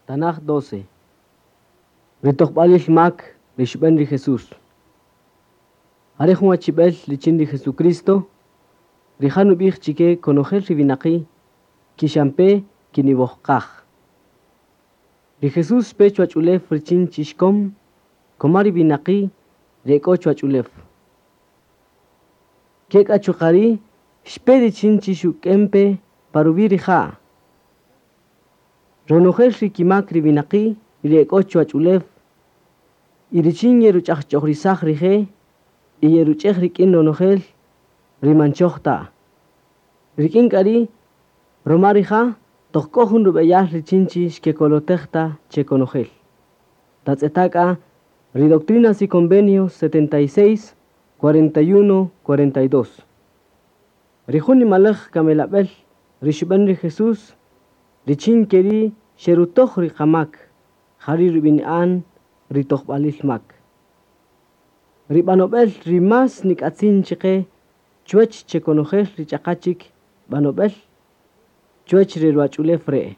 Tanaj 12. Ri tojb'alil mak ri xub'an ri Jesús. Are jun achib'el richin ri Jesucristo, rija' nub'ij chike konojel ri winaqi' kixampe kiniwojqaj. Ri Jesús xpe chuwach ulew richin chixkom koma ri winaqi' ri e k'o chuwach ulew. Kek'a chuqa' ri' xpe richin chi xuk'en pe pa ruwi' rija'. Ronojel ri kimak ri winaqi' ri e k'o chuwach ulew y richin yeruch'ajch'ojrisaj rije' y yeruch'ej rik'in ronojel ri man choj ta. Rik'in k'a ri' roma rija' toq k'o jun rub'eyal richin chi xkekolotej ta che konojel. Tatz'eta' k'a ri Doctrinas y Convenios 76, 41, 42. Ri jun nimalaj kamelab'el ri xub'an ri Jesús richin keri' xerutoj ri qamak jari' rub'ini'an ri tojb'alil mak. Ri b'anob'el ri más nik'atzin chiqe chuwach che konojel ri ch'aqa chik b'anob'el chuwach ri ruwach'ulew re'.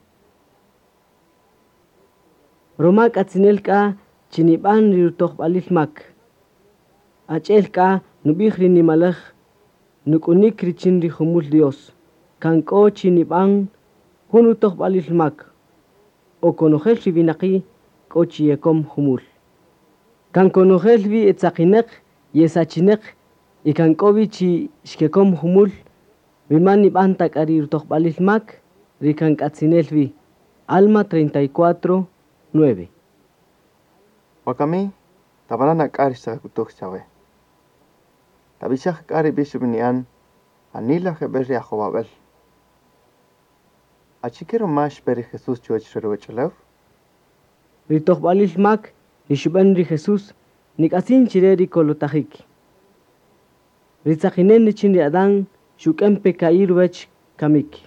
Roma k'atzinel k'a chi nib'an ri rutojb'alil mak. Ach'el k'a nub'ij ri nimalaj nuk'unik richin ri jumul Dios. Kan k'o chi nib'an jun rutojb'alil mak o konojel ri winaqi' k'o chi yekom jumul. Kan konojel wi etzaqineq yesachineq y kan k'o wi chi xkekom jumul wi man nib'an ta k'a ri rutojb'alil mak ri kan k'atzinel wi. Alma 34, 9. Wakami, tab'ana' k'a ri xtaqak'utuj chawe. Tab'ixaj k'a ri b'ix rub'ini'an janila jeb'ël ri ajowab'äl. Achike ruma xpe ri Jesús chuwäch re ruwach'ulew? Ri tojb'alil mak ri xub'an ri Jesús nik'atzin chire ri kolotajik. Ri tzaqinen richin ri Adán xuk'en pe ka'i' ruwach kamik.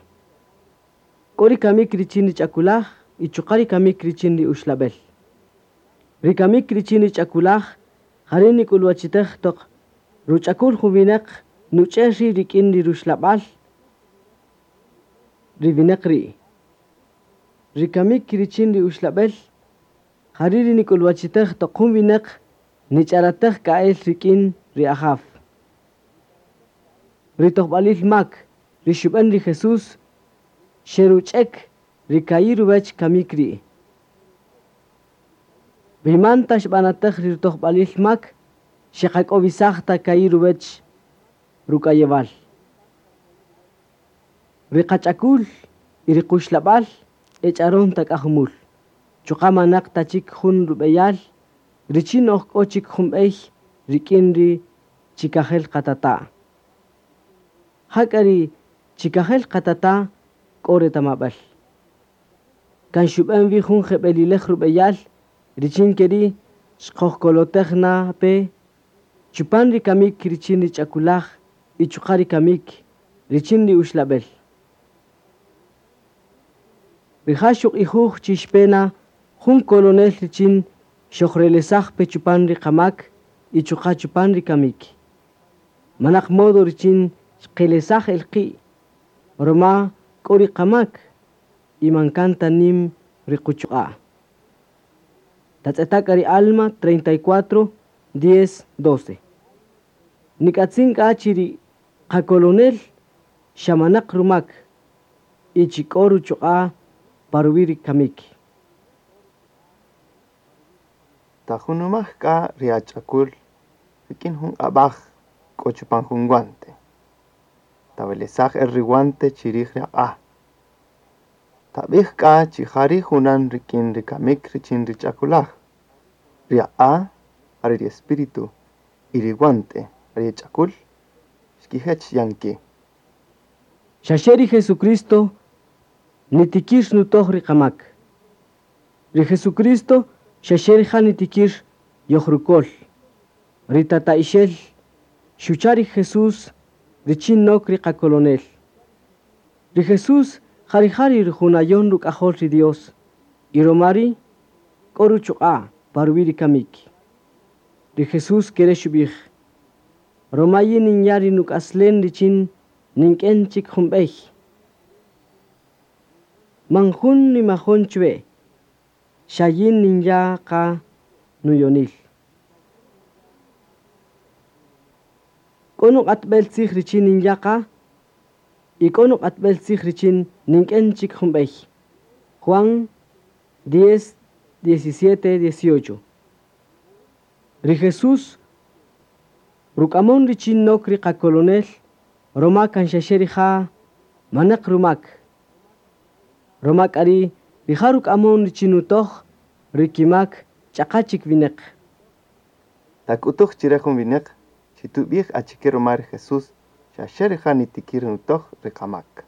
K'o ri kamik richin ri ch'akulaj y chuqa' ri kamik richin ri uxlab'el. Ri kamik richin ri ch'akulaj jari' nik'ulwachitej toq ruch'akul jun winaq nuch'er ri' rik'in ri ruxlab'al ri winaq ri'. Ri kamik richin ri uxlab'el jari' ri nik'ulwachitej toq jun winaq nich'aratej ka'el rik'in ri Ajaw. Ri tojb'alil mak ri xub'an ri Jesús xeruch'ek ri ka'i' ruwach kamik ri'. Wi man ta xb'anatej ri rutojb'alil mak xeqak'owisaj ta ka'i' ruwach ruk'ayewal. Ri qach'akul y ri quxlab'al ech'aron ta k'a jumul. Chuqa' manaq ta chik jun rub'eyal richin oj k'o chik jun b'ey rik'in ri chikajel qatata'. Jak'a ri chikajel qatata' k'o retamab'al. Kan xub'an wi jun jeb'elilej rub'eyal richin keri' xqojkolotej na pe chupan ri kamik richin ri ch'akulaj y chuqa' ri kamik richin ri uxlab'el. Rija' xuq'ijuj chi xpe na jun kolonel richin xojrelesaj pe chupan ri qamak y chuqa' chupan ri kamik. Manaq modo richin xqelesaj el qi' roma k'o ri qamak y man kan ta nim ri quchuq'a'. Tatz'eta' k'a ri Alma 34, 10, 12. Nik'atzin k'a chi ri qakolonel xamanaq rumak y chi k'o ruchuq'a' pa ruwi' ri kamik. Tajunumaj k'a ri ach'akul rik'in jun q'ab'aj k'o chupan jun guante. Tawelesaj el ri guante chirij ri aq'a'. Tab'ij k'a chi jari' junan rik'in ri kamik richin ri ch'akulaj. Ri aq'a' jare ri espíritu y ri guante ri ch'akul xkijech yan ki'. Xaxe ri Jesucristo nitikir nutoj ri qamak. Ri Jesucristo xaxe rija' nitikir yojrukol. Ri tata'ixel xucha' ri Jesús richin nok ri qakolonel. Ri Jesús jarija' ri rujunayon ruk'ajol ri Dios y roma ri' k'o ruchuq'a' pa ruwi' ri kamik. Ri Jesús kere xub'ij: Roma yin ninya' ri nuk'aslen richin nink'en chik jun b'ey. Man jun nimajon chwe. Xa yin ninya' qa nuyonil. K'o nuq'atb'el tzij richin ninya' qa y k'o nuq'atb'el tzij richin nink'en chik jun b'ey. Juan 10, 17, 18. Ri Jesús ruk'amon richin nok ri qakolonel roma kan xaxe rija' manaq rumak. Roma k'a ri' rija' ruk'amon richin nutoj ri kimak ch'aqa chik winäq. Tak'utuj chire jun winäq chi tub'ij achike ruma ri Jesús xa xe rija' nitikir nutoj ri qamak.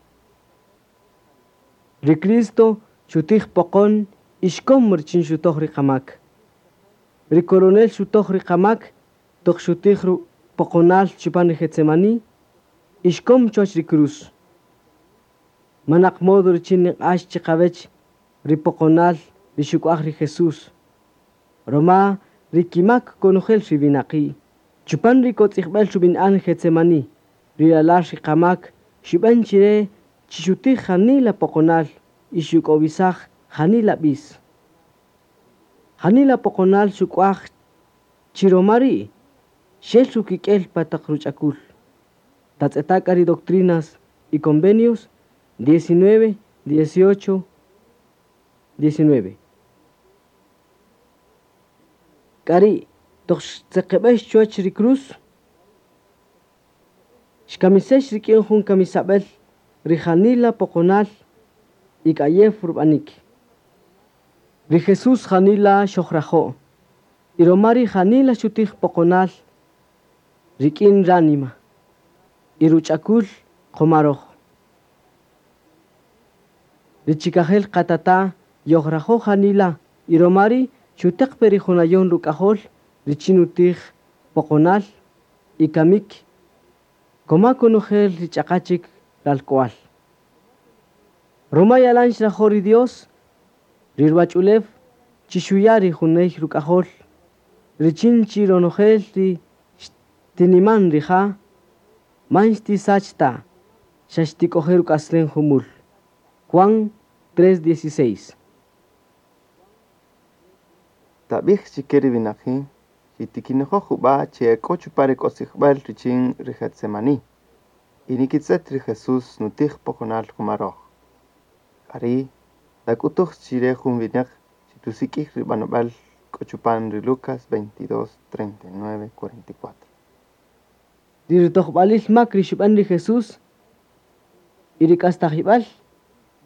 Ri Cristo xutij poqon y xkom richin xutoj ri qamak. Ri coronel xutoj ri qamak toq xutij poqonal chupan ri Getsemaní y xkom chuwach ri cruz. Manaq modo richin niq'ax chiqawech ri poqonal ri xuk'waj ri Jesús. Roma ri kimak konojel ri winaqi'. Chupan ri kotz'ijb'el rub'in'an Getsemaní, ri ralal ri qamak xub'an chire chi xutij janila poqonal y xuk'owisaj janila b'is. Janila poqonal xuk'waj chi roma ri' xel rukik'el pa taq ruch'akul. Tatz'eta' k'a ri Doctrinas y Convenios 19, 18, 19. K'a ri' toq xtzeqeb'ex chuwach ri cruz, xkamisex rik'in jun kamisab'el ri janila poqonal y k'ayew rub'anik. Ri Jesús janila xojrajo' y roma ri janila xutij poqonal rik'in ránima y ruch'akul qomaroj. Ri chikajel qatata yojrajo' janila y roma ri' xuteq pe ri junayon ruk'ajol richin nutij poqonal y kamik koma konojel ri ch'aqa chik ralk'wal. Roma yalan xrajo' ri Dios, ri ruwach'ulew chi xuya' ri juney ruk'ajol, richin chi ronojel ri xtiniman rija' man xtisach ta, xa xtik'oje' ruk'aslen jumul. Juan 3:16. Tab'ij chike ri winaqi' chi tikinojoj jub'a' chi e k'o chupan ri k'otzijb'äl richin ri Getsemaní y nikitz'et ri Jesús nutij poqonal qumaroj. K'a ri' tak'utuj chire jun winäq chi tusik'ij ri b'anob'äl k'o chupan ri Lucas 22, 39, 44. Ri rutojb'alil mak ri xub'an ri Jesús y ri k'astajib'al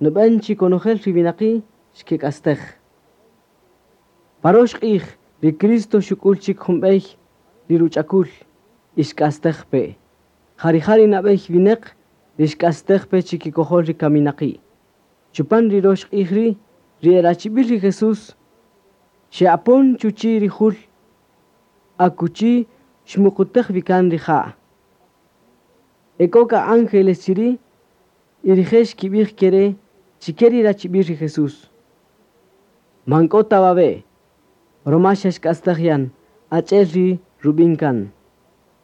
nub'an chi konojel ri winaqi' xkek'astej. Parox q'ij ri Cristo xuk'ul chik jun b'ey ri ruch'akul y xk'astej pe. Jarija' ri nab'ey winäq ri xk'astej pe chikikojol ri kaminaqi'. Chupan ri rox q'ij ri' ri erachib'il ri Jesús xe'apon chuchi' ri jul akuchi xmuqutej wikan rija'. E k'o k'a ángeles chiri' y rije' xkib'ij kere chike ri rachib'il ri Jesús. Man k'o ta wawe', roma xa xk'astej yan, ach'el ri rub'in kan.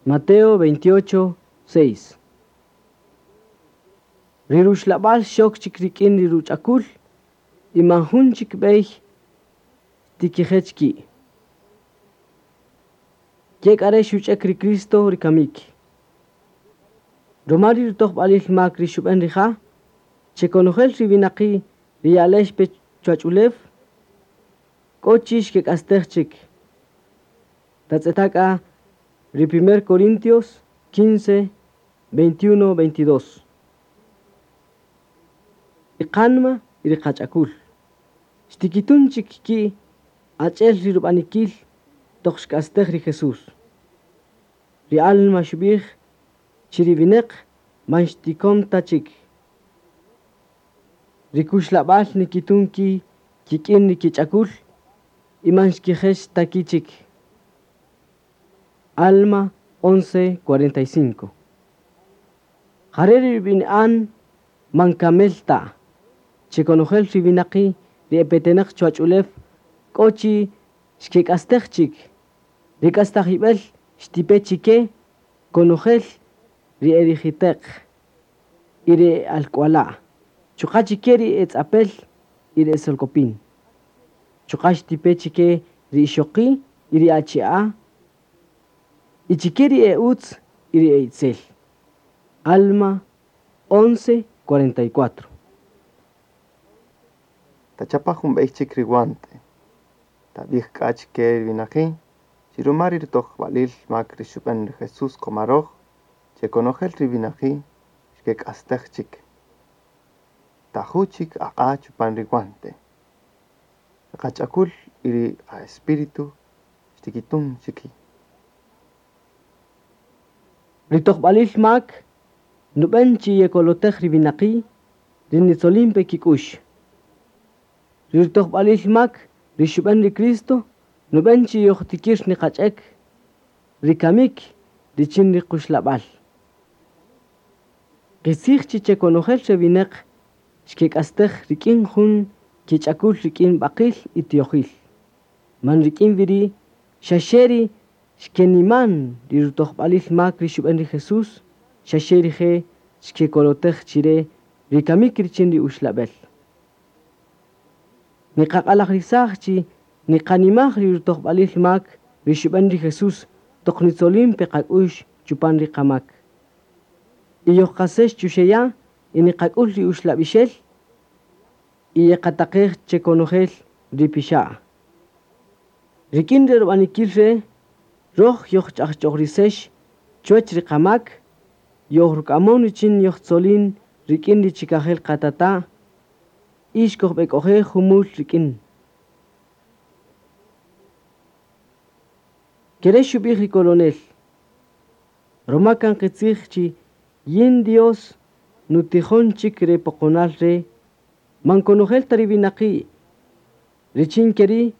Mateo 28, 6. Ri ruxlab'al xok chik rik'in ri ruch'akul y man jun chik b'ey tikijech ki'. Ke k'a re' xuch'ek ri Cristo ri kamik. Roma ri rutojb'alil mak ri xub'an rija', chekonojel ri winaqi' ri ya'lex pe chuwach'ulew, k'o chi xkek'astej chik. Tatz'eta' k'a ri 1 Corintios 15, 21, 22. Ri qanma y ri qach'akul. Xtikitun chik ki' ach'el ri rub'anikil toq xk'astej ri Jesús. Ri alma xub'ij chi ri winäq man xtikom ta chik. Ri kuxlab'al nikitun ki' kik'in ri kich'akul y man xkijex ta ki' chik. Alma 11, 45. Jare' ri rub'in'an man kamel ta. Chekonojel ri winaqi' ri epetenaq chuwach'ulew k'o chi xkek'astej chik. Ri k'astajib'el xtipe chike konojel ri erijiteq y ri alk'wala'. Chuqa' chike ri etz'apel y ri esolkopin. Chuqa' xtipe chike ri ixoqi' y ri achi'a' y chike ri e utz y ri e itzel. Alma 11:44. Tachapa' jun b'ey chik ri guante. Tab'ij k'a chike ri winaqi' chi ruma ri rutojb'alil mak ri xub'än ri Jesús qoma röj, che konojel ri winaqi' xkek'astej chik. Taju' chik aq'a' chupan ri guante. Ri qach'akul y ri qa-espíritu xtikitun chiki. Ri tojb'alil mak nub'än chi yekolotej ri winaqi' ri nitzolin pe kik'ux. Ri tojb'alil mak ri xub'än ri Cristo nub'än chi yojtikir niqach'ek ri kamik richin ri quxlab'al. Qitzij chi chekonojel re winaq xkek'astej rik'in jun kich'akul rik'in b'aqil y tiyojil. Man rik'in wiri' xaxe ri xkeniman ri rutojb'alil mak ri xub'än ri Jesús, xaxe rije' xkekolotej chire ri kamik richin ri uxlab'el. Niqaq'alajrisaj chi niqanimaj ri rutojb'alil mak ri xub'än ri Jesús toq nitzolin pe qak'ux chupan ri qamak. Y yojqasex chuxeya' y niqak'ul ri uxlab'ixel y yeqataqej chekonojel ri pixa'. Rik'in ri rub'anikil re' röj yojch'ajch'ojrisex chuwäch ri qamak, yojruk'amon richin yojtzolin rik'in ri chikajel qatata' y xkojb'ek'oje' jumul rik'in. Kere' xub'ij ri coronel, ruma kan qitzij chi yin Dios nutijon chik re poqonal re' man konojel ta ri winaqi' richin keri'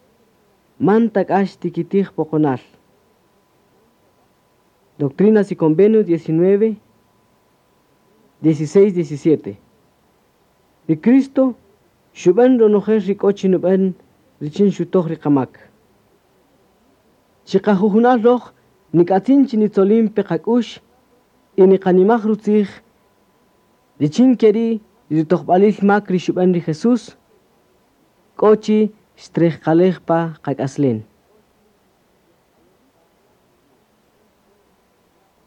man ta k'a xtikitij poqonal. Doctrinas y Convenios 19, 16, 17. Ri Cristo xub'än ronojel ri k'o chi nub'än richin xutoj ri qamak. Chiqajujunal röj nik'atzin chi nitzolin pe qak'ux y niqanimaj rutzij richin keri' ri rutojb'alil mak ri xub'än ri Jesús k'o chi xtrejqalej pa qak'aslen.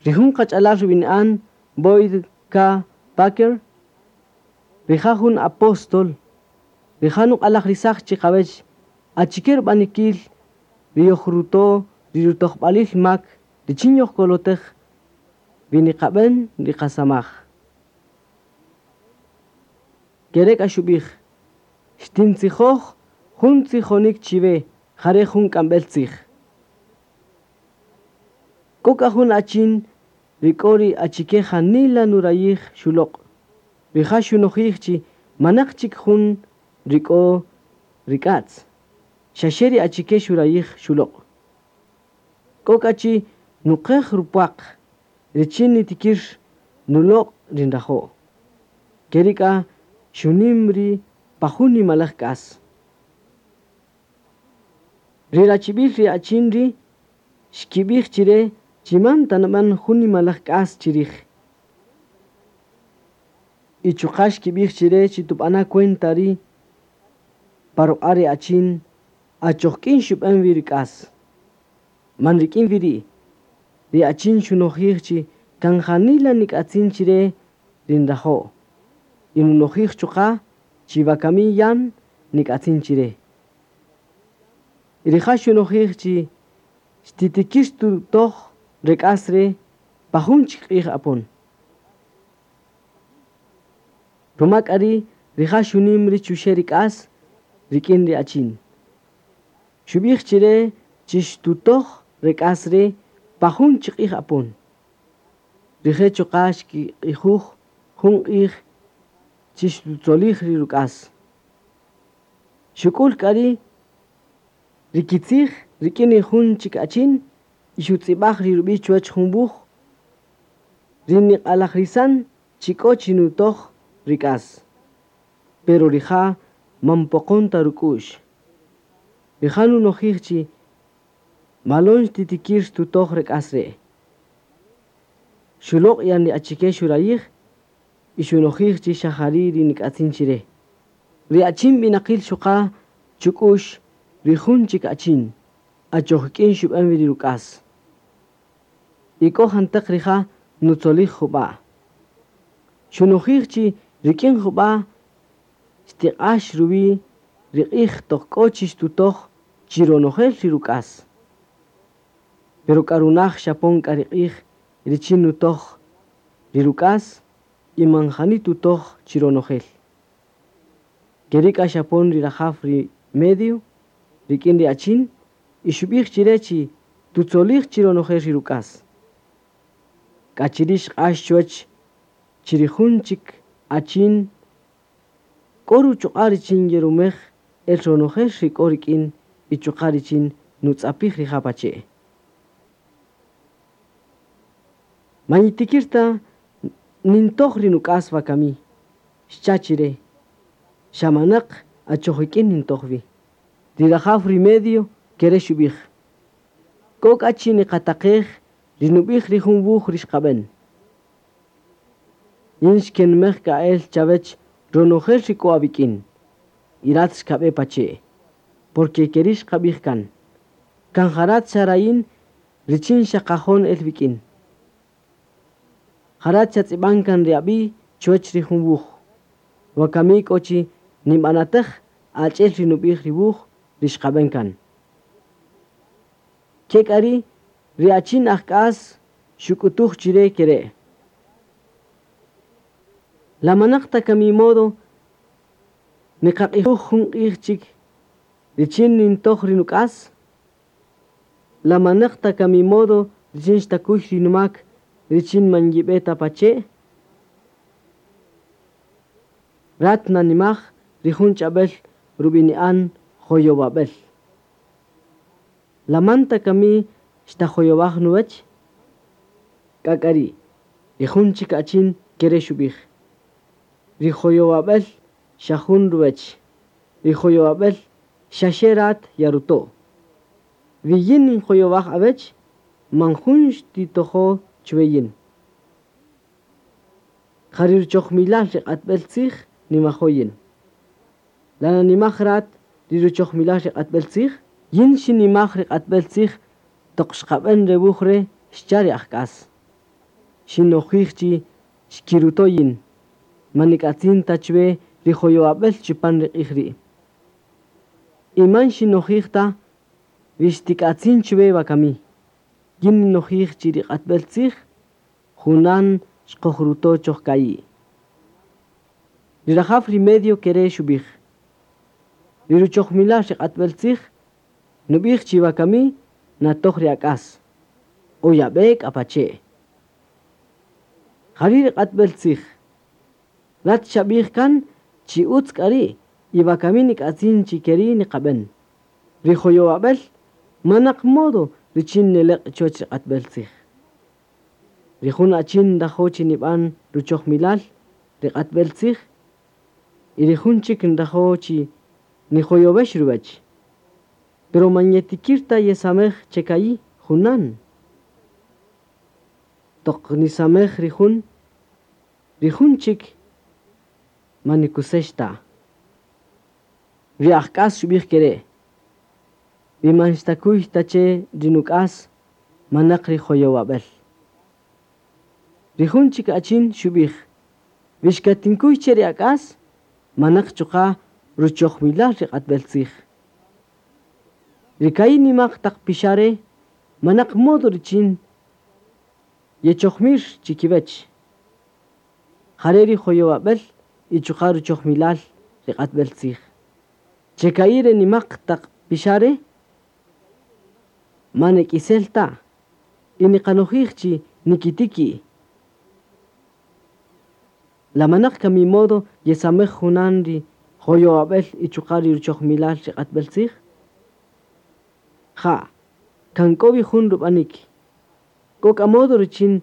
Ri jun qach'alal rub'ini'an Boyd K. Packer, rija' jun apóstol, rija' nuq'alajrisaj chiqawech achike rub'anikil ri yojruto' ri rutojb'alil mak richin yojkolotej wi niqab'än ri qasamaj. Kere' k'a xub'ij, xtintzijoj jun tzijonik chiwe jare' jun k'amb'el tzij. K'o k'a jun achin ri k'o ri achike janila nurayij xuloq'. Rija' xunojij chi manaq chik jun ri k'o rik'atz. Xaxe ri achike xurayij xuloq'. K'o k'a chi nuqej rupwaq richin nitikir nuloq' ri nrajo'. Keri' k'a xunim ri' pa jun nimalaj k'as. Ri rachib'il ri achin ri' xkib'ij chire chi man ta nab'än jun nimalaj k'as chirij. Y chuqa' xkib'ij chire chi tub'ana' cuenta ri' pa ruq'a' ri achin achoj k'in xub'än wi ri k'as. Man rik'in wi ri', ri achin xunojij chi kan janila nik'atzin chire ri nrajo'. Y nunojij chuqa' chi wakami yan nik'atzin chire. Y rija' xunojij chi xtitikir tutoj re k'as re' pa jun chik q'ij apon. Ruma k'a ri' rija' xunim ri chuxe' ri k'as rik'in ri achin. Xub'ij chire chi xtutoj re k'as re' pa jun chik q'ij apon. Rije' chuqa' xkiq'ijuj jun q'ij chi xtutzolij ri ruk'as. Xuk'ul k'a ri' ri kitzij rik'in ri jun chik achin y xutz'ib'aj ri rub'i' chuwäch jun wuj ri niq'alajrisan chi k'o chi nutoj ri k'as. Pero rija' man poqon ta ruk'u'x. Rija' nunojij chi malon xtitikir xtutoj re k'as re'. Xuloq' yan ri achike xurayij y xunojij chi xa jari' ri nik'atzin chire. Ri achin b'inaqil xuqa chuk'ux ri jun chik achin, achoj ik'in xub'än wi ri ruk'as. Y k'o janteq rija' nutzolij jub'a'. Xunojij chi rik'in jub'a' xtiq'ax ruwi' ri q'ij toq k'o chi xtutoj chi ronojel ri ruk'as. Pero k'a runaj xapon k'a ri q'ij richin nutoj ri ruk'as y man jani tutoj chi ronojel. Keri' k'a xapon ri rajaw ri medio rik'in ri achin y xub'ij chire chi tutzolij chi ronojel ri ruk'as. K'a chiri' xq'ax chuwäch chi ri jun chik achin k'o ruchuq'a' richin yerumej el ronojel ri k'o rik'in y chuqa' richin nutz'apij rija' pache'. Man yitikir ta nintoj ri nuk'as wakami, xcha' chire, xa manaq achoj ik'in nintoj wi. Ri rajaw ri medio kere' xub'ij: K'o k'a chi niqataqej ri nub'ij ri jun wuj ri xqab'en. Yin xkenmej k'a el chawech ronojel ri k'o awik'in, y rat xkab'e pache', porque keri' xqab'ij kan. Kan ja rat xarayin richin xaqajon el wik'in. Ja rat xatz'ib'an kan ri ab'i' chuwäch ri jun wuj. Wakami k'o chi ninb'anatäj achi'el ri nub'ij ri wuj ri xqab'en kan. Ke k'a ri' ri achin ajk'as xuk'utuj chire kere': La manaq ta kami modo niqaq'ijuj jun q'ij chik richin nintoj ri nuk'as? La manaq ta kami modo richin xtakuy ri numak richin man yib'e ta pache'? Rat nanimaj ri jun ch'ab'äl rub'ini'an joyowab'äl. La man ta kami xtajoyowaj nuwäch? K'a k'a ri' ri jun chik achin kere' xub'ij: Ri joyowab'äl xa jun ruwäch. Ri joyowab'äl xaxe rat yaruto'. Wi yin ninjoyowaj awech, man jun xtitojo chwe yin. Ja ri ruchojmilal ri q'atb'äl tzij nimajo' yin. La nanimaj rat ri ruchojmilal ri q'atb'äl tzij? Yin xinimaj ri q'atb'äl tzij toq xqab'en re wuj re' xcha' ri ajk'as. Xinojij chi xkiruto' yin. Man nik'atzin ta chwe ri joyowab'äl chupan ri q'ij ri'. Y man xinojij ta wi xtik'atzin chwe wakami. Yin ninojij chi ri q'atb'äl tzij junan xqojruto' choj ka'i'. Ri rajaw ri medio kere' xub'ij: Ri ruchojmilal ri q'atb'äl tzij nub'ij chi wakami natoj ri ak'as o yab'e k'a pache'. Ja ri' ri q'atb'äl tzij. Rat xab'ij kan chi utz k'a ri' y wakami nik'atzin chi keri' niqab'en. Ri joyowab'äl manaq modo richin neleq' chuwäch ri q'atb'äl tzij. Ri jun achin nrajo' chi nib'an ruchojmilal ri q'atb'äl tzij y ri jun chik nrajo' chi nijoyowex ruwäch. Pero man yetikir ta yesamej che ka'i' junan. Toq nisamej ri jun chik man nikusex ta. Ri ajk'as xub'ij kere': Wi man xtakuy ta che ri nuk'as, manaq ri joyowab'äl. Ri jun chik achin xub'ij: Wi xkatinkuy che ri ak'as, manaq chuqa' ruchojmilal ri q'atb'äl tzij. Ri ka'i' nimaq taq pixa' re' manaq modo richin yechojmir chikiwech. Ja re' ri joyowab'äl y chuqa' ruchojmilal ri q'atb'äl tzij. Che ka'i' re nimaq taq pixa' re' man ek'isel ta y niqanojij chi nikitiki'. La manaq kami modo yesamej junan ri joyowab'äl y chuqa' ri ruchojmilal ri q'atb'äl tzij? Ja, kan k'o wi jun rub'anik. K'o k'a modo richin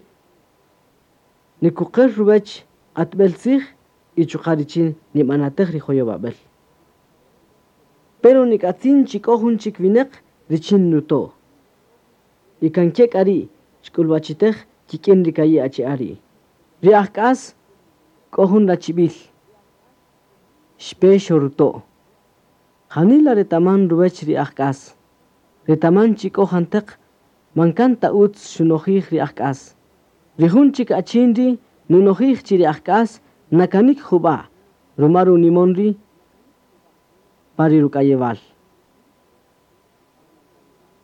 nikuqer ruwäch q'atb'äl tzij y chuqa' richin nib'anatäj ri joyowab'äl. Pero nik'atzin chi k'o jun chik winäq richin nuto'. Y kan ke k'a ri' xk'ulwachitej kik'in ri ka'i' achi'a' ri'. Ri ajk'as k'o jun rachib'il. Xpe xoruto'. Janila retaman ruwech ri ajk'as. Retaman chi k'o janteq man kan ta utz xunojij ri ajk'as. Ri jun chik achin ri nunojij chi ri ajk'as nakanik jub'a' ruma runimon ri pa ri ruk'ayewal.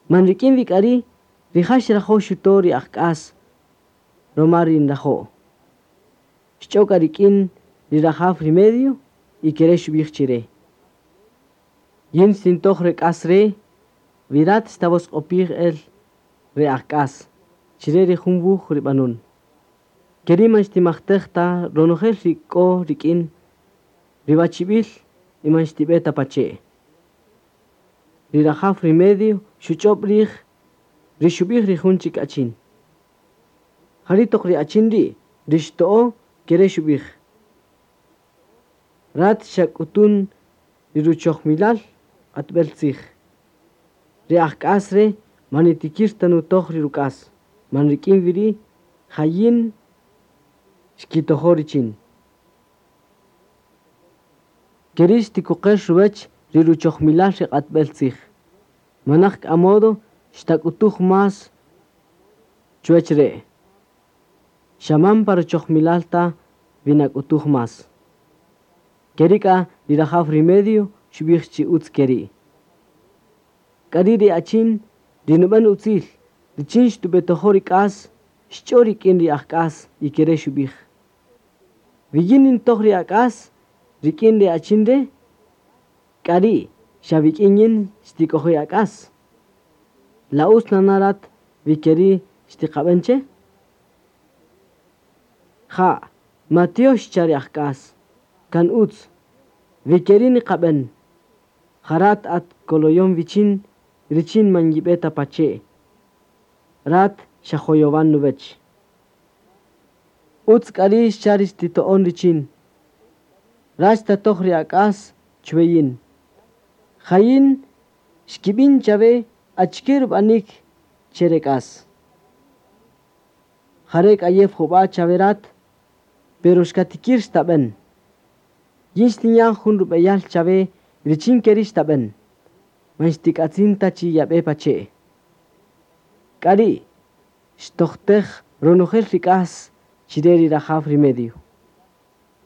Man rik'in wi k'a ri' rija' xrajo' xuto' ri ajk'as ruma ri nrajo'. Xch'o k'a rik'in ri rajaw ri medio y kere' xub'ij chire. Yin xtintoj re k'as re' wi rat xtawosq'opij el re ajk'as chire ri jun wuj ri b'anun. Keri' man xtimajtej ta ronojel ri k'o rik'in ri wachib'il y man xtib'e ta pache'. Ri rajaw ri medio xuch'ob' rij ri xub'ij ri jun chik achin. Jari' toq ri achin ri' ri xto'o kere' xub'ij. Rat xak'utun ri ruchojmilal q'atb'el tzij. Ri ajk'as re' man nitikir ta nutoj ri ruk'as. Man rik'in wi ri' jayin xkitojo' richin. Keri' xtikuqer ruwech ri ruchojmilal ri q'atb'el tzij. Manaq k'a modo xtak'utuj más chuwech re'. Xaman pa ruchojmilal ta wi nak'utuj más. Keri' k'a ri rajaw ri medio xub'ij chi utz keri'. K'ari' ri achin ri nub'an utzil richin xtub'etojo' ri k'as xch'o rik'in ri ajk'as y kere' xub'ij. Wi yin nintoj ri ak'as rik'in ri achin re' k'ari' xa wik'in yin xtik'oje' ak'as. La utz nana' rat wi keri' xtiqab'an che? Ja, matiox xcha' ri ajk'as. Kan utz. Wi keri' niqab'an. Jarat at koloyon wichin richin man yib'e ta pache'. Rat xajoyowan nuwech. Utz k'a ri' xcha' ri xtito'on richin. Rat xtatoj ri ak'as chwe yin. Jayin xkib'in chawe achike rub'anik che re k'as. Jare' k'ayew jub'a' chawe rat, pero xkatikir xtab'an. Yin xtinya' jun rub'eyal chawe richin keri' xtab'an. Man xtik'atzin ta chi yab'e pache'. K'ari' xtojtej ronojel ri k'as chire ri rajaw ri medio.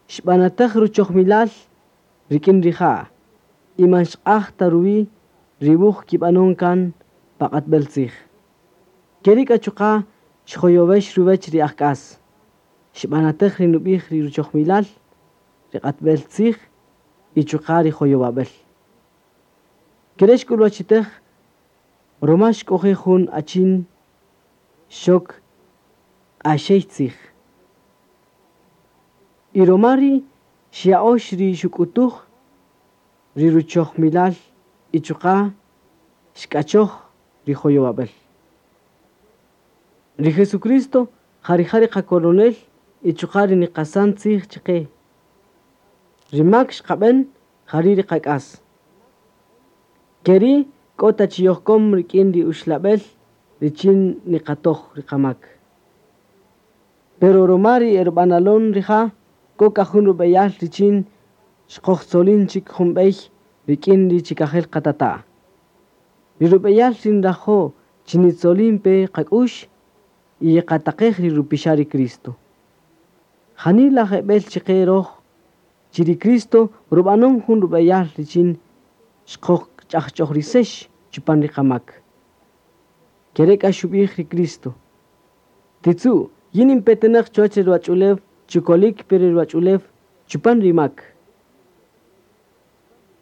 Xb'anatej ruchojmilal rik'in rija' y man xq'aj ta ruwi' ri wuj kib'anon kan pa q'atb'el tzij. Keri' k'a chuqa' xjoyowex ruwech ri ajk'as. Xb'anatej ri nub'ij ri ruchojmilal ri q'atb'el tzij y chuqa' ri joyowab'el. Kere' xk'ulwachitej ruma xk'oje' jun achin xok q'axey tzij. Y ruma ri' xya'ox ri xuk'utuj ri ruchojmilal y chuqa' xk'achoj ri joyowab'el. Ri Jesucristo jarija' ri qakoronel y chuqa' ri niqasan tzij chiqe. Ri mak xqab'an jari' ri qak'as. Keri' k'o ta chi yojkom rik'in ri uxlab'el richin niqatoj ri qamak. Pero ruma ri erb'analon rija' k'o k'a jun rub'eyal richin xqojtzolin chik jun b'ey rik'in ri chikajel qatata'. Ri rub'eyal ri nrajo' chi nitzolin pe qak'ux y qataqej ri rupixa' ri Cristo. Janila jeb'el chiqe roj chi ri Cristo rub'anon jun rub'eyal richin xqojch'ajch'ojrisex chupan ri qamak. Kere' k'a xub'ij ri Cristo. Titzu' yin inpetenaq chuwach ri ruwach'ulew chukolik pe ri ruwach'ulew chupan ri mak.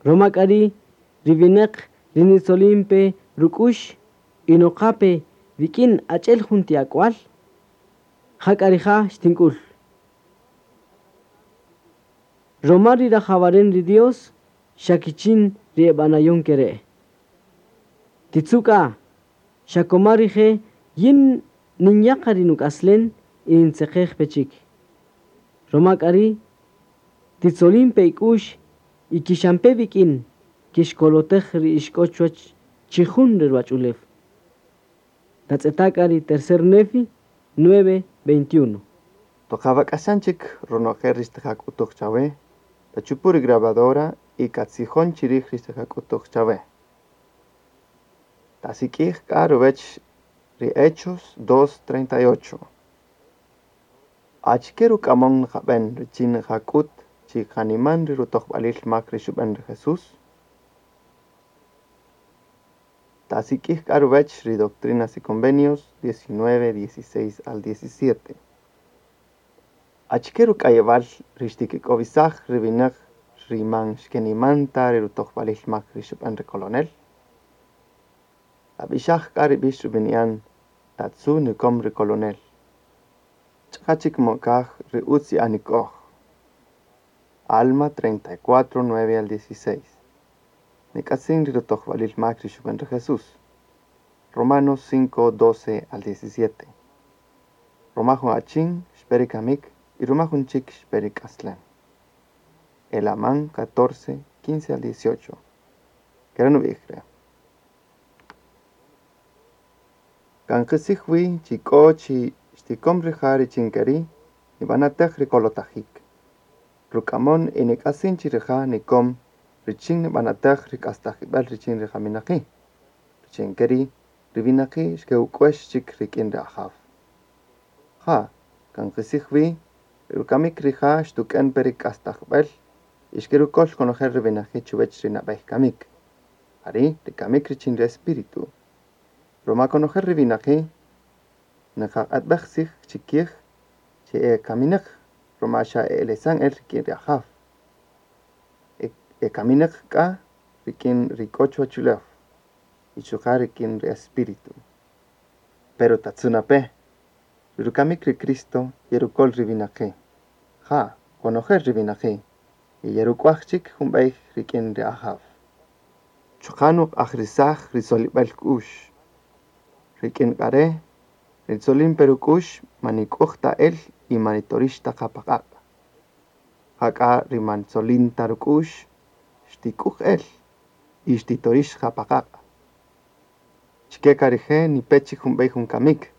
Ruma k'a ri' ri winaq ri nitzolin pe ruk'ux y noqa pe wik'in ach'el jun ti ak'wal, jak'a rija' xtink'ul. Ruma ri rajawaren ri Dios xa kichin ri eb'anayon kere'. Titzu' k'a, xa koma rije' yin ninyaqa ri nuk'aslen y nintzeqej pe chik. Ruma k'a ri' titzolin pe ik'ux y kixampe wik'in kixkolotej ri ixk'o chuwach chijun ri ruwach'ulew. Tatz'eta' k'a ri tercer Nefi 9:21. Toq awak'axan chik ronojel ri xtiqak'utuj chawe, tachupu' ri grabadora. Y katzijon chirij ri xtiqak'utuj chawe. Tasik'ij k'a ruwech ri Hechos 2:38. Achike ruk'amon nqab'en richin nqak'üt chi qaniman ri rutojb'alil mak ri xub'än ri Jesús? Tasik'ij k'a ruwech ri Doctrinas y Convenios 19:16 al 17. Achike ruk'ayewal ri xtikik'owisaj ri winäq ri man xkeniman ta ri rutojb'alil mak ri xub'än ri kolonel? Tab'ixaj k'a ri b'ix rub'ini'an Tatzu' nikom ri kolonel. Ch'aqa chik mokaj ri utz ye'anik'oj. Alma 34, 9 al 16. Nik'atzin ri rutojb'alil mak ri xub'än ri Jesús. Romanos 5, 12 al 17. Ruma jun achin xpe ri kamik y ruma jun chik xpe ri k'aslem. Helamán 14, 15 al 18. Kere' nub'ij re'. Kan qitzij wi chi k'o chi xtikom rija' richin keri' nib'anatej ri kolotajik. Ruk'amon y nik'atzin chi rija' nikom richin nib'anatej ri k'astajib'äl richin ri qaminaqi'. Richin keri' ri winaqi' xke'uk'uex chik rik'in ri Ajaw. Ja', kan qitzij wi, ri rukamik rija' xtuk'en pe ri k'astajb'äl y xkerukol konojel ri winaqi' chuwech ri nab'ey kamik. Jari' ri kamik richin ri espíritu. Ruma konojel ri winaqi' niqaq'atb'ej tzij chikij chi e kaminaq ruma xa e elesan el rik'in ri Ajaw. E kaminaq k'a rik'in ri k'o chuwach ulew y chuqa' rik'in ri espíritu. Pero tatzu' na pe, ri rukamik ri Cristo yerukol ri winaqi'. Ja', konojel ri winaqi' y yeruk'uaj chik jun b'ey rik'in ri Ajaw. Chuqa' nuq'ajrisaj ri solib'äl k'u'x. Rik'in k'a re', ri tzolin pe ruk'u'x man nik'uj ta el y man nitorix ta qa pa q'aq'. Jak'a ri man tzolin ta ruk'u'x xtik'uj el y xtitorix qa pa q'aq'. Chike k'a rije' nipe chik jun b'ey jun kamik.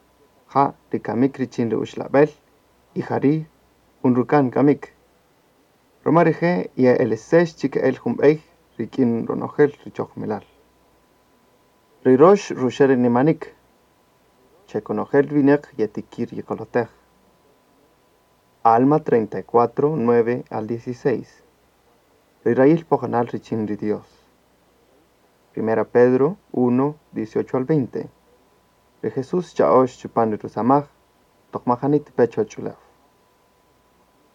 Ja', ri kamik richin ri uxlab'el y jari' jun rukan kamik. Ruma rije' ye'elesex chik el jun b'ey rik'in ronojel ri chojmilal. Ri rox ruxe' ri nimanik. Che konojel winäq yetikir yekolotej. Alma 34, 9 al 16. Ri rayil poqonal richin ri Dios. Primera Pedro 1, 18 al 20. Ri Jesús cha'ox chupan ri rusamaj, toq majani tipe chuwach ulew.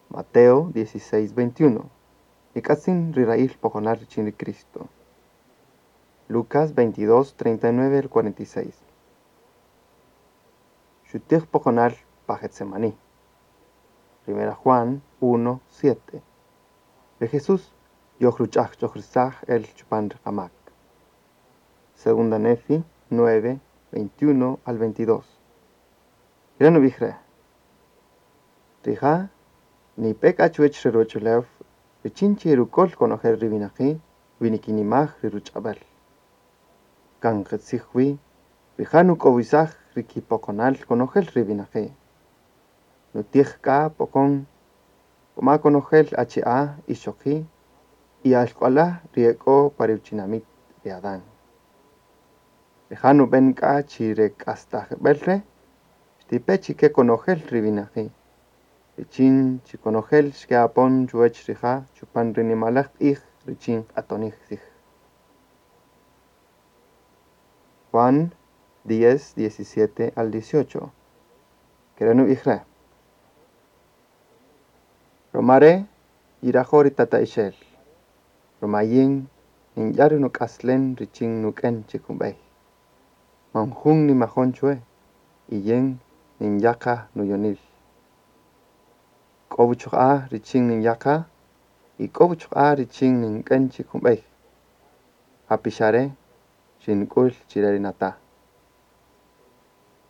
Mateo 16, 21. Nik'atzin ri rayil poqonal richin ri Cristo. Lucas 22, 39 al 46. Xutij poqonal pa Getsemaní. Primera Juan 1, 7. Ri Jesús yojruch'ajch'ojrisaj el chupan ri qamak. Segunda Nefi 9, 21 al 22. Kere' nub'ij re'. Rija' nipe k'a chuwech re ruwach'ulew richin chi yerukol konojel ri winaqi' wi nikinimaj ri ruch'ab'äl. Kan qitzij wi, rija' nuk'owisaj ri kipoqonal konojel ri winaqi'. Nutij k'a poqon koma konojel achi'a' ixoqi' y alk'wala' ri e k'o pa rutinamit ri Adán. Rija' nub'en k'a chi re k'astajib'äl re' xtipe chike konojel ri winaqi'. Richin chi konojel xke'apon chuwech rija' chupan ri nimalaj q'ij richin q'atonij tzij. Juan 10, 17 al 18. Kere' nub'ij re'. Ruma re' yirajo' ri tata'ixel. Ruma yin ninya' ri nuk'aslen richin nuk'en chik jun b'ey. Man jun nimajon chwe y yin ninya' qa nuyonil. K'o wuchuq'a' richin ninya' qa y k'o wuchuq'a' richin nink'en chik jun b'ey. Ja pixa' re' xink'ul chire ri nata'.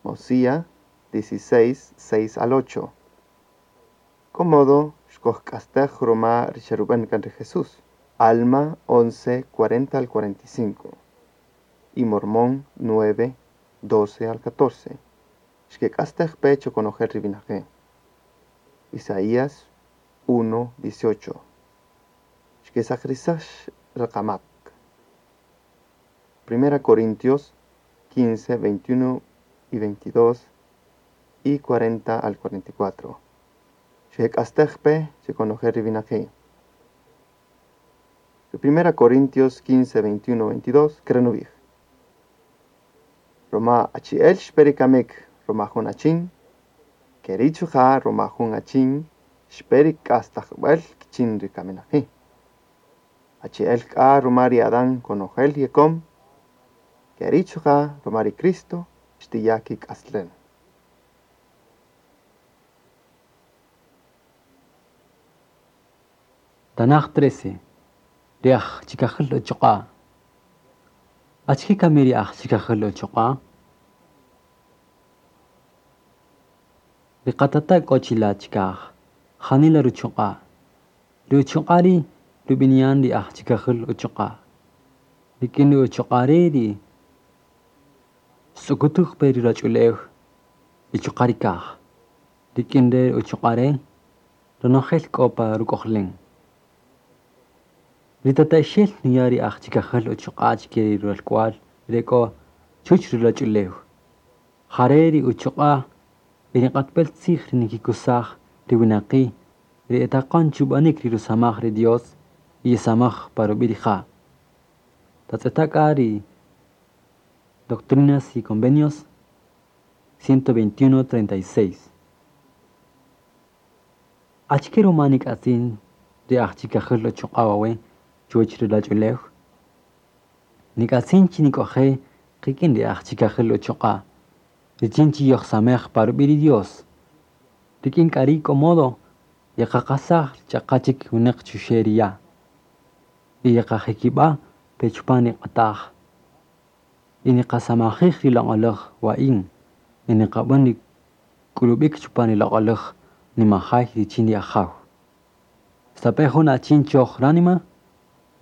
Mosíah 16, 6 al 8. K'o modo xkojk'astej ruma ri xerub'än kan ri Jesús. Alma 11, 40 al 45. Y Mormón 9, 12 al 14. Xkek'astej pe chokonojel ri winaqi'. Isaías 1, 18. Xkesaqirisäx ri qamak. Primera Corintios 15, 21 y 22 y 40 al 44. Xkek'astej pe chi konojel ri winaqi'. Ri Primera Corintios 15, 21, 22 kere' nub'ij: Ruma achi'el xpe ri kamik ruma jun achin, ke ri' chuqa' ruma jun achin xpe ri k'astajb'äl kichin ri kaminaqi'. Achi'el k'a ruma ri Adán konojel yekom, ke ri' chuqa' ruma ri Cristo xtiya' kik'aslem. Tanaj 13. Ri aj chikajil uchuq'a. Achike kami ri aj chikajil uchuq'a? Ri qatata' k'o chila' chikaj, janila ruchuq'a. Ri uchuq'a ri' rub'ini'an ri aj chikajil uchuq'a. Rik'in ri uchuq'a re' ri xtz'ukutuj pe ri ruwach'ulew y chuqa' ri kaj. Rik'in re uchuq'a re' ronojel k'o pa ruk'ojlen. Ri tata'ixel nuya' ri aj chikajil uchuq'a chike ri ralk'wal re k'o chuwäch ri ruwach'ulew. Jare' ri uchuq'a y ri q'atb'el tzij ri nikikusaj ri winaqi' ri etaqon chub'anik ri rusamaj ri Dios y yesamaj pa rub'i' rija'. Tatz'eta' k'a ri Doctrinas y Convenios 121.36. Achike ruma nik'atzin ri aj chikajil uchuq'a wawe' chuwäch ri ruwach'ulew? Nik'atzin chi nik'oje' qik'in ri aj chikajil uchuq'a' richin chi yojsamej pa rub'i' ri Dios. Rik'in k'a ri' k'o modo yeqaqasaj ch'aqa chik winäq chuxe' ri ya'. Y yeqajikib'a' pe chupan ri q'ataj. Y niqasamajij ri loq'oläj wa'in y niqab'än ri k'ulub'ik chupan ri loq'oläj nimajay richin ri Ajaw. Stape' jun achin choj ránima,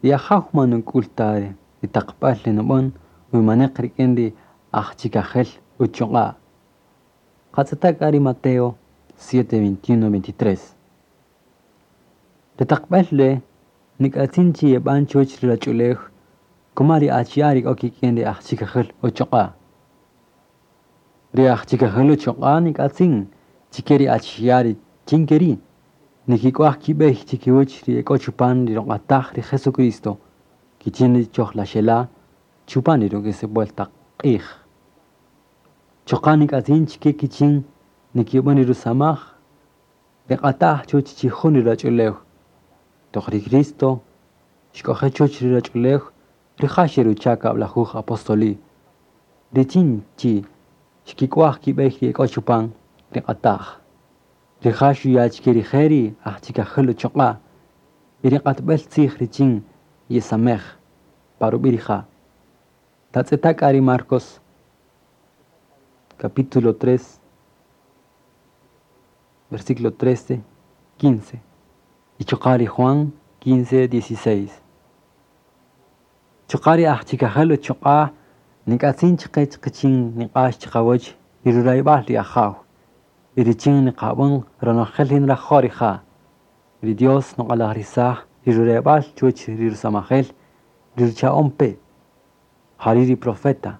ri Ajaw man nuk'ul ta ri taqb'äl ri nub'än wi maneq rik'in ri aj chikajel uchuq'a'. Qatz'eta' k'a ri Mateo 7, 21, 23. Ri taqb'äl re' nik'atzin chi yeb'an chuwäch ri ruwach'ulew kuma ri achi'a' ri k'o kik'in ri aj chikajil uchuq'a'. Ri aj chikajil uchuq'a' nik'atzin chike ri achi'a' ri chin ke ri' nikik'uaj kib'ey chikiwäch ri ek'o chupan ri ruq'ataj ri Jesucristo kichin ri chojlaxela' chupan ri ruk'isib'äl taq q'ij. Chuqa' nik'atzin chike kichin nikib'än ri rusamaj ri q'ataj chuwäch chijun ri ruwach'ulew. Toq ri Cristo xk'oje' chuwäch ri ruwach'ulew rija' xerucha' kab'lajuj apostoli' richin chi xkik'uaj kib'ey ri ek'o chupan ri q'ataj. Rija' xuya' chike rije' ri aj chikajil uchuq'a' y ri q'atb'el tzij richin yesamej pa rub'i' rija'. Tatz'eta' k'a ri Marcos capítulo 3, versículo 13, 15. Y chuqa' ri Juan 15, 16. Chuqa' ri aj chikajil uchuq'a' nik'atzin chiqe qichin niq'ax chiqawäch ri rurayb'al ri Ajaw. Y richin niqab'än ronojel ri nrajo' rija'. Ri Dios nuq'alajrisaj ri rurayb'al chuwäch ri rusamajel ri rucha'on pe. Jari' ri profeta.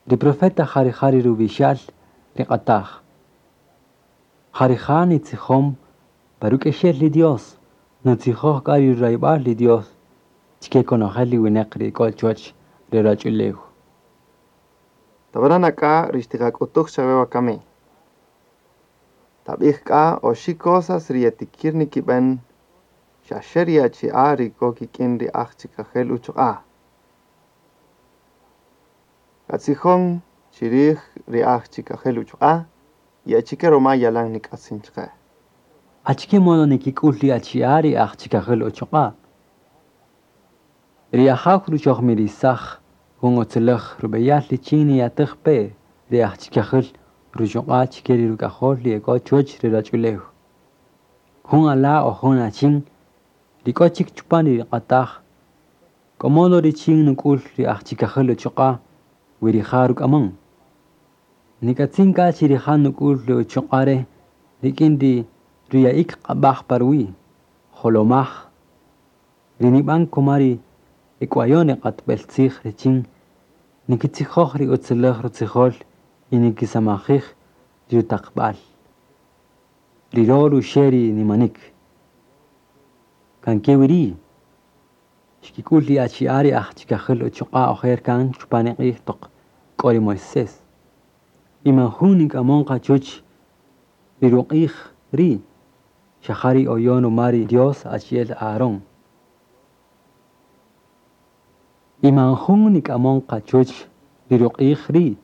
Ri profeta ja rija' ri rub'ixal ri q'ataj. Ja rija' nitzijom pa ruk'exel ri Dios, nutzijoj k'a ri rurayb'al ri Dios chike konojel ri winäq ri k'o chuwäch ri ruwach'ulew. Tab'ana' k'a ri xtiqak'utuj chawe wakami. Tab'ij k'a oxi' cosas ri yetikir nikib'en xaxe ri achi'a' ri k'o kik'in ri aj chikajel uchuq'a'. Katzijon chirij ri aj chikajel uchuq'a' y achike ruma yalan nik'atzin chaqe. Achike modo nikik'ul ri achi'a' ri aj chikajil uchuq'a'? Ri Ajaw ruchojmirisaj jun utziläj rub'eyal richin niyatej pe ri aj chikajil ruchuq'a' chike ri ruk'ajol ri ek'o chuwäch ri ruwach'ulew. Jun ala' o jun achin ri k'o chik chupan ri q'ataj k'o modo richin nuk'ul ri aj chikajil uchuq'a' wi rija' ruk'amon. Nik'atzin k'a chi rija' nuk'ul ri uchuq'a' re' rik'in ri ruya'ik q'ab'aj pa ruwi', jolomaj, Ri nib'an kuma ri ek'wayon ri q'atb'el tzij richin nikitzijoj ri utziläj rutzijol y nikisamajij ri rutaqb'al. Ri ro ruxe' ri nimanik. Kan ke wi ri' xkik'ul ri achi'a' ri aj chikajül uchuq'a' ojer kan chupan ri q'ij toq k'o ri Moisés. Y man jun nik'amon qa chuwäch ri ruq'ij ri' xa ja ri oyon ruma ri Dios achi'el Aarón. Y man jun nik'amon qa chuwäch ri ruq'ij ri'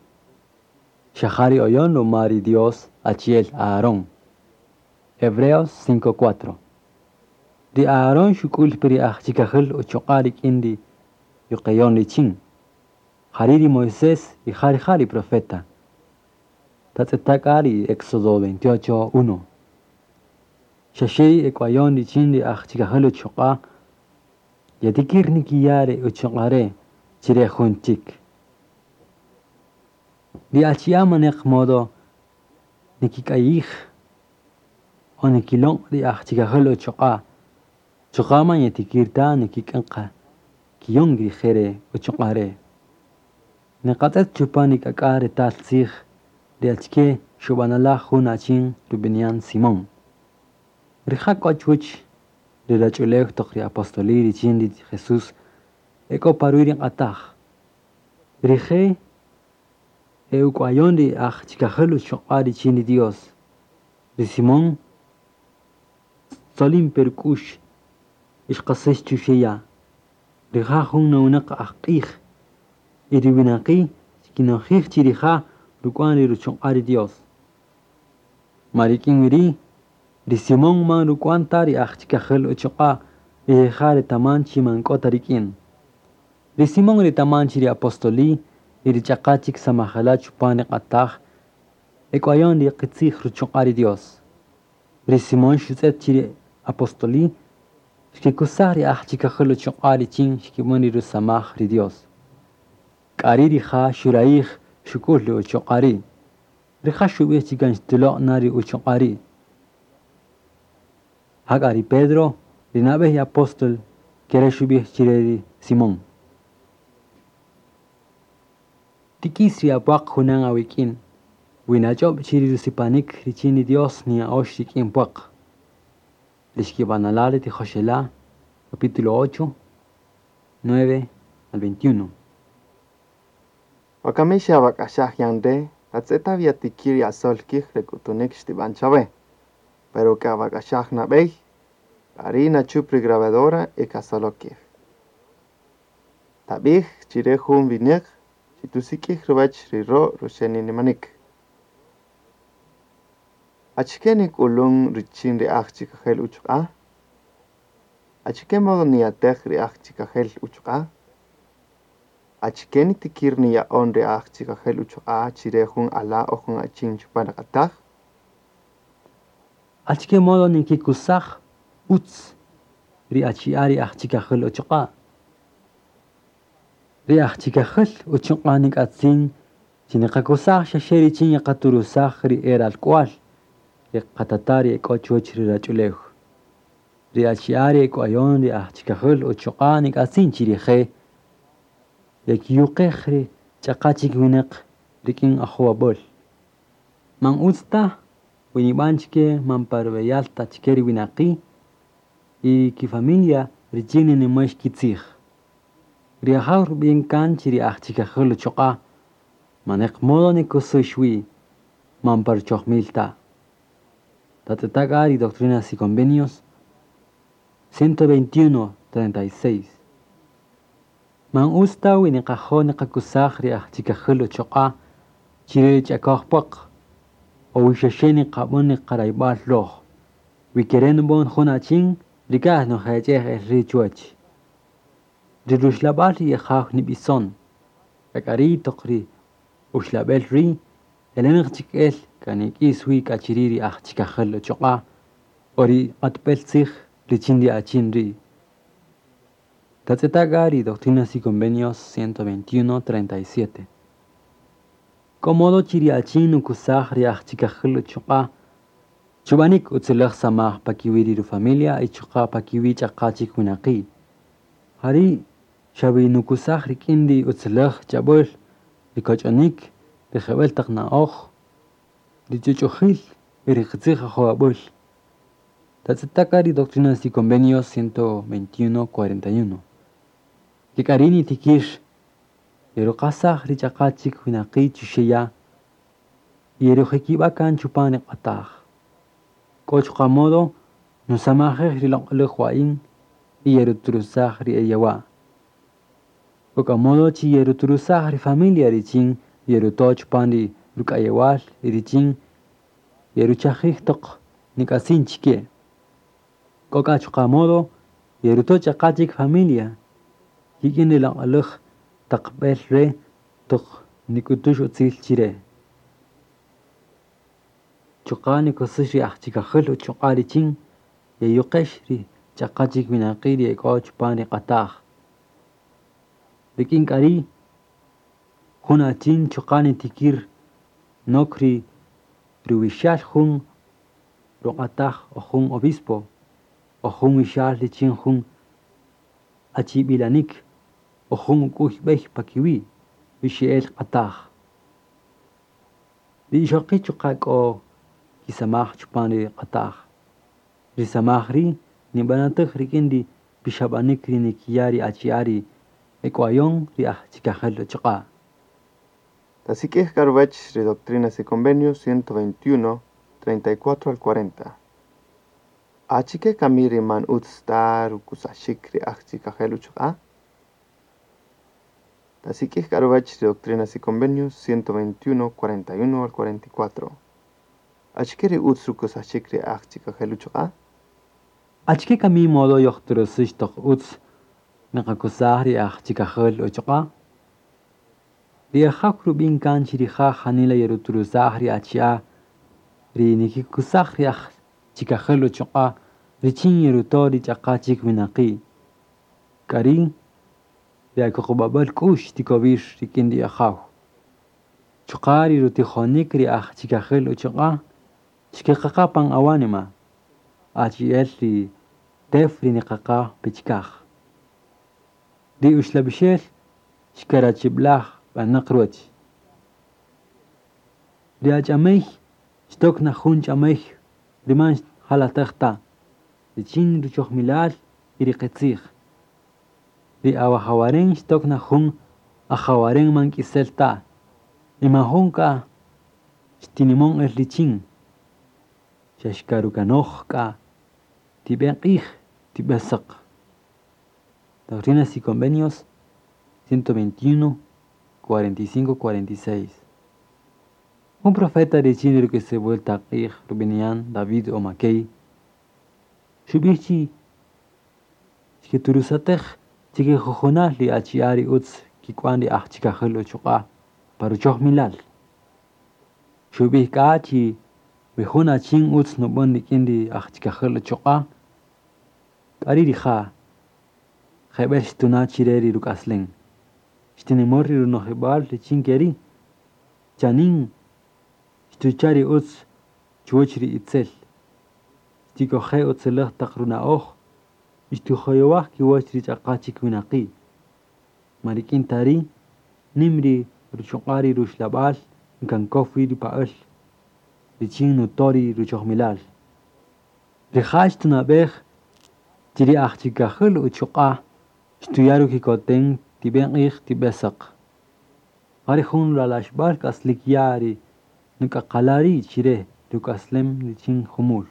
xa ja ri oyon ruma ri Dios achi'el Aarón. Hebreos 5:4. Ri Aarón xuk'ul pe ri aj chikajül uchuq'a' rik'in ri yuqeyon richin. Jari' ri Moisés y ja rija' ri profeta. Tatz'eta' k'a ri Éxodo 28:1. Xa xe ri ek'wayon richin ri aj chikajül uchuq'a' yetikir nikiya' ri uchuq'a' re' chire jun chik. Ri achi'a' maneq modo nikik'ayij o nikilon' ri aj chikajül uchuq'a' chuqa' man yetikir ta nikik'än qa kiyon rije' re uchuq'a' re'. Niqatz'et chupan ri k'ak'a' retal tzij ri achike xub'anala' jun achin rub'ini'an Simón. Rija' k'o chuwäch ri ruwach'ulew toq ri apostoli richin ri Jesús e k'o pa ruwi' ri q'ataj. Rije' e uk'wayon ri aj chikajül uchuq'a' richin ri Dios. Ri Simón xtzolin pe ruk'u'x y xqasäx chuxe' ya'. Rija' jun nowinäq ajq'ij y ri winaqi' xkinojij chi rija' ruk'wan ri ruchuq'a' ri Dios. Ma rik'in wi ri', ri Simón man ruk'wan ta ri aj chikajül uchuq'a' y rija' retaman chi man k'o ta rik'in. Ri Simón retaman chi ri apostoli y ri ch'aqa chik samajela' chupan ri q'ataj ek'wayon ri qitzij ruchuq'a' ri Dios. Ri Simón xutz'et chi ri apostoli xkikusaj ri aj chikajül uchuq'a' richin xkib'än ri rusamaj ri Dios. K'a ri' rija' xurayij xuk'ul ri uchuq'a' ri'. Rija' xub'ij chi kan xtulo' na ri uchuq'a' ri'. Jak'a ri Pedro, ri nab'ey apóstol, kere' xub'ij chire ri Simón. Tik'is ri apwaq junan awik'in, wi nach'ob' chi ri rusipanik richin ri Dios niya'ox rik'in pwaq. Ri xkib'anala' ri tijoxela', capítulo 8, 9 al 21. Wakami xe'awak'axaj yan re', tatz'eta' wi yatikir yasol kij re k'utunik xtib'an chawe. Pero ka'awak'axaj nab'ey, k'a ri' nachup ri grabadora y kasolo kij. Tab'ij chire jun winäq chi tusik'ij ruwäch ri ro' ruxe' nimanik. Achike nik'ulun richin ri aj chikajel uchuq'a'? Achike modo niyatej ri aj chikajel uchuq'a'? Achike nitikir niya'on ri aj chikajel uchuq'a' chire jun ala' o jun achin chupan ri q'ataj? Achike modo nikikusaj utz ri achi'a' ri aj chikajül uchuq'a'? Ri aj chikajül uchuq'a' nik'atzin chi niqakusaj xa xe richin yeqaturusaj ri e ralk'wal ri qatata' ri ek'o chuwäch ri ruwach'ulew. Ri achi'a' ri ek'wayon ri aj chikajül uchuq'a' nik'atzin chi rije' yekiyuqej ri ch'aqa chik winäq rik'in ajowab'äl. Man utz ta wi nib'an chike man pa rub'eyal ta chike ri winaqi' y ri kifamilia richin ninimäx kitzij. Ri Ajaw rub'in kan chi ri aj chikajül uchuq'a' maneq modo nikusux wi man pa ruchojmil ta. Tatz'eta' k'a ri Doctrinas y Convenios 121, 36. Man utz ta wi niqajo' niqakusaj ri aj chikajül uchuq'a' chire ri ch'akoj pwaq o wi xa xe niqab'än niqarayb'al roj. Wi kere' nib'on jun achin rikaj nujech'ej el ri' chuwäch. Ri ruxlab'al ri Ajaw nib'ison. K'a ri' toq ri uxlab'el ri' elenaq chik el k'a nik'is wi k'a chiri' ri aj chikajül uchuq'a' o ri q'atb'el tzij richin ri achin ri'. Tatz'eta' k'a ri Doctrinas y Convenios 121, 37. K'o modo chi ri achin nukusaj ri aj chikajül uchuq'a' chub'anik utziläj samaj pa kiwi' ri rufamilia y chuqa' pa kiwi' ch'aqa chik winaqi'. Jari' xawi nukusaj rik'in ri utziläj ch'ab'äl, ri koch'onïk, ri jeb'ël taq na'oj, ri ch'uch'ujil y ri qitzij ajowab'äl. Tatz'eta' k'a ri Doctrinas y Convenios 121, 41. Ke k'a ri' nitikir yeruqasaj ri ch'aqa chik winaqi' chuxe' ya' y yerujikib'a' kan chupan ri q'ataj. K'o chuqa' modo nusamajij ri loq'oläj wa'in y yeruturusaj ri e yawa'. K'o k'a modo chi yeruturusaj ri familia richin yeruto' chupan ri ruk'ayewal y richin yeruchajij toq nik'atzin chike. K'o k'a chuqa' modo yeruto' ch'aqa chik familia kik'in ri loq'oläj taq b'el re' toq nik'utux utzil chire. Chuqa' nikusäx ri ajchikajäl uchuq'a' richin yeyuqex ri ch'aqa chik winaqi' ri e k'o chupan ri q'ataj. Rik'in k'a ri' jun achin chuqa' nitikir nok ri ruwixal jun ruq'ataj o jun obispo o jun wixal richin jun achib'ilanik o jun uk'uy b'ey pa kiwi' ruxe'el q'ataj. Ri ixoqi' chuqa' k'o kisamaj chupan ri q'ataj. Ri samaj ri' nib'anatäj rik'in ri pixab'anik ri nikiya' ri achi'a' ri ek'wayon ri ajchikajel uchuq'a'. Tasik'ij k'a ruwäch ri Doctrinas y Convenios 121, 34 al 40. Achike kami ri man utz ta rukusaxik ri ajchikajel uchuq'a'? Tasik'ij k'a ruwäch ri Doctrinas y Convenios 121, 41 al 44. Achike ri utz rukusaxik ri ajchikajel uchuq'a'? Achike kami modo yojturusix toq utz niqakusaj ri ajchikajel uchuq'a'? Ri ajaw rub'in kan chi rija' janila yeruturusaj ri achi'a' ri nikikusaj ri ajchikajel uchuq'a' richin yeruto' ri ch'aqa chik winaqi'. K'a ri' ri akuqub'ab'äl k'u'x tikowir rik'in ri ajaw. Chuqa' ri rutijonik ri ajchikajel uchuq'a' xkeqaqa pan awanima, achi'el ri tew ri niqaqa pichikaj. Ri uxlab'ixel xkarachib'laj b'anaq ruwäch. Ri ach'amey xtok na jun ch'amey ri man jalatäj ta, richin ruchojmilal y ri qitzij. Ri awajawaren xtok na jun ajawaren man k'isel ta, y man jun k'a xtinimon el richin. Xa xkarukanoj k'a tib'e q'ij tib'e säq. Doctrinas y Convenios 121, 45, 46. Un profeta richin ri ruk'isib'äl taq q'ij rub'ini'an David O. McKay xub'ij chi xketurusatej chikijujunal ri achi'a' ri utz kik'wan ri ajchikajel uchuq'a' pa ruchojmilal. Xub'ij k'a chi wi jun achin utz nub'än rik'in ri ajchikajel uchuq'a', k'a ri' rija' jeb'ël xtuna' chire ri ruk'aslen. Xtinimär ri runojib'al richin ke ri' chanin xtucha' ri utz chuwäch ri itzel. Xtik'oje' utziläj taq runa'oj y xtujoyowaj kiwäch ri ch'aqa chik winaqi'. Man rik'in ta ri' nim ri ruchuq'a' ri ruxlab'al nkankow wi ri pa'äl richin nuto' ri ruchojmilal. Rija' xtunab'ej chi ri ajchikajel uchuq'a' xtuya' rukikoten tib'e q'ij tib'e säq. Ja ri jun ralaxb'al k'aslik ya' ri nuk'aqala' ri' chire ruk'aslem richin jumul.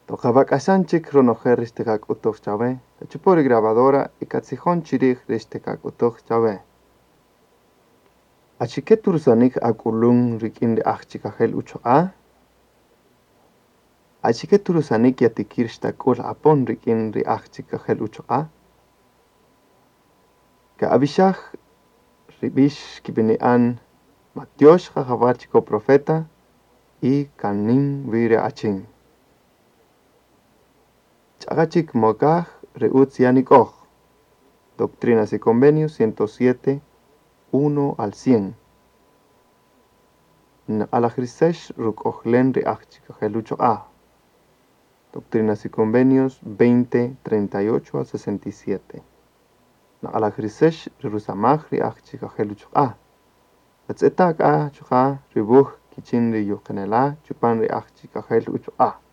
Toq awak'axan chik ronojel ri xtiqak'utuj chawe, tachupu' ri grabadora y katzijon chi rij ri xtiqak'utuj chawe. Achike turusanik ak'ulun rik'in ri ajchikajel uchuq'a'? Achike turusanik yatikir xtak'ul apon rik'in ri ajchikajel uchuq'a'? Ka'ab'ixaj ri b'ix kib'ini'an Matyox qajawal chi k'o profeta y kanin wi ri achin. Ch'aqa chik mokaj ri utz yanik'oj. Doctrinas y Convenios 107, 1 al 100. Nq'alajrisex ruk'ojlen ri ajchikajel uchuq'a'. Doctrinas y Convenios 20, 38 al 67. Naq'alajrisex ri rusamaj ri aj chikajel uchuq'a'. Tatz'eta' k'a chuqa' ri wuj kichin ri yuqinela' chupan ri aj chikajel uchuq'a'.